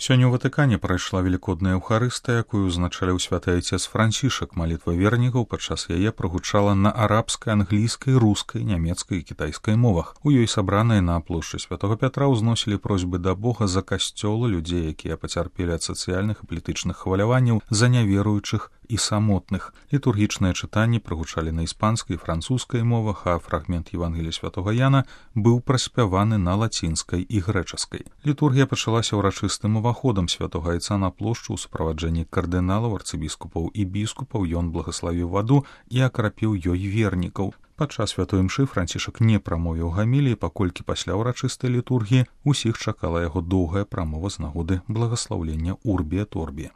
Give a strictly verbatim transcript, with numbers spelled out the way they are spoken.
Сёння ў Ватыкане прайшла велікодная эўхарыстыя, якую узначаліў святы айцец Францішак. Малітва вернікаў падчас яе прагучала на арабскай, англійскай, рускай, нямецкай і кітайскай мовах. У ёй сабраныя на плошчы святога Пятра ўзносілі просьбы да Бога за касцёлы, людзей, якія пацярпелі ад сацыяльных і палітычных хваляванняў, за няверуючых і самотных. Літургічныя чытанні прагучалі на іспанскай і французскай мовах, а фрагмент Евангелія святога Яна быў праспяваны на лацінскай і грэчаскай. Літургія пачалася ўрачыстым уваходам святога айца на плошчу ў суправаджэнні кардыналаў, арцыбіскупаў і біскупаў. Ён благаславіў ваду і акрапіў ёй вернікаў. Падчас святой імшы Францішак не прамовіў гаміліі, паколькі пасля ўрачыстай літургіі усіх чакала яго доўгая прамова з нагоды благаслаўлення Урбі эт Орбі.